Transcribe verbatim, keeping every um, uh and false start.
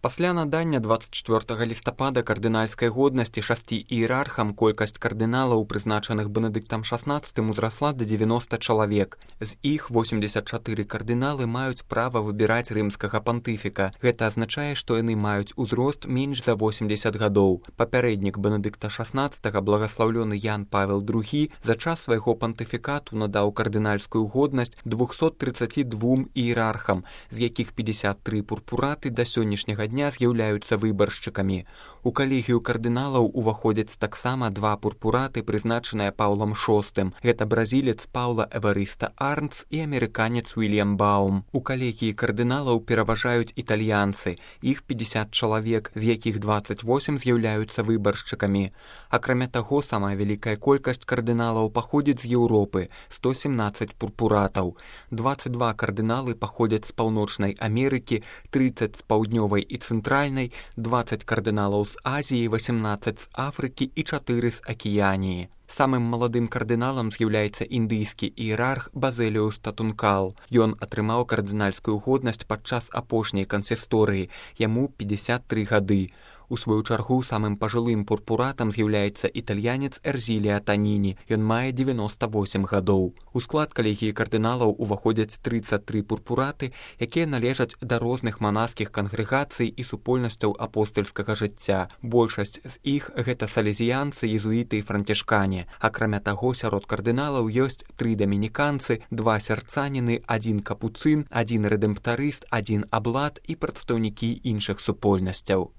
Пасля надання дваццаць чвёртага лістапада кардынальскай годнасці шасці іерархам колькасць кардыналаў, прызначаных Бенедыктам шаснаццатым, узрасла да дзевяноста чалавек. З іх восемдзесят чатыры кардыналы маюць права выбіраць рымскага пантыфіка. Гэта азначае, што яны маюць узрост менш за восемдзесят гадоў. Папярэднік Бенедыкта шаснаццатага, благаслаўлёны Ян Павел другі, за час свайго пантыфікату надаў кардынальскую годнасць двухсот трыццаці двум іерархам, з якіх пятьдесят тры пурпураты да сённяшняга дня з'яўляюцца выбаршчыкамі. У калегію кардыналаў уваходзяць таксама два пурпураты, прызначаныя Паўлам шостым. Гэта бразілец Паўла Эварыста Арнц і амерыканец Уільям Баум. У калегіі кардыналаў пераважаюць італьянцы. Іх пятьдесят чалавек, з якіх дваццаць восем з'яўляюцца выбаршчыкамі. Акрамя таго, самая вялікая колькасць кардыналаў паходзіць з Еўропы – сто семнаццаць пурпуратаў. дваццаць два кардыналы паходзяць з Паўночнай Амерыкі, трыццаць з паўднёвай і цэнтральнай, дваццаць кардыналаў з Азіі, восемнаццаць з Афрыкі і чатыры з Акіяніі. Самым маладым кардыналам з'яўляецца індыйскі іерарх Базэліус Татункал. Ён атрымаў кардынальскую годнасць падчас апошняй кансісторыі. Яму пятьдесят тры гады. У сваю чаргу самым пажылым пурпуратам з'яўляецца італьянец Эрзілія Таніні. Ён мае дзевяноста восем гадоў. У склад калегіі кардыналаў уваходзяць трыццаць тры пурпураты, якія належаць да розных манаскіх кангрэгацый і супольнасцяў апостальскага жыцця. Большасць з іх гэта салезіянцы, езуіты і францішкане. Акрамя таго, сярод кардыналаў ёсць тры дамініканцы, два сярцаніны, адзін капуцын, адзін рэдэмптарыст, адзін аблат і прадстаўнікі іншых супольнасцяў.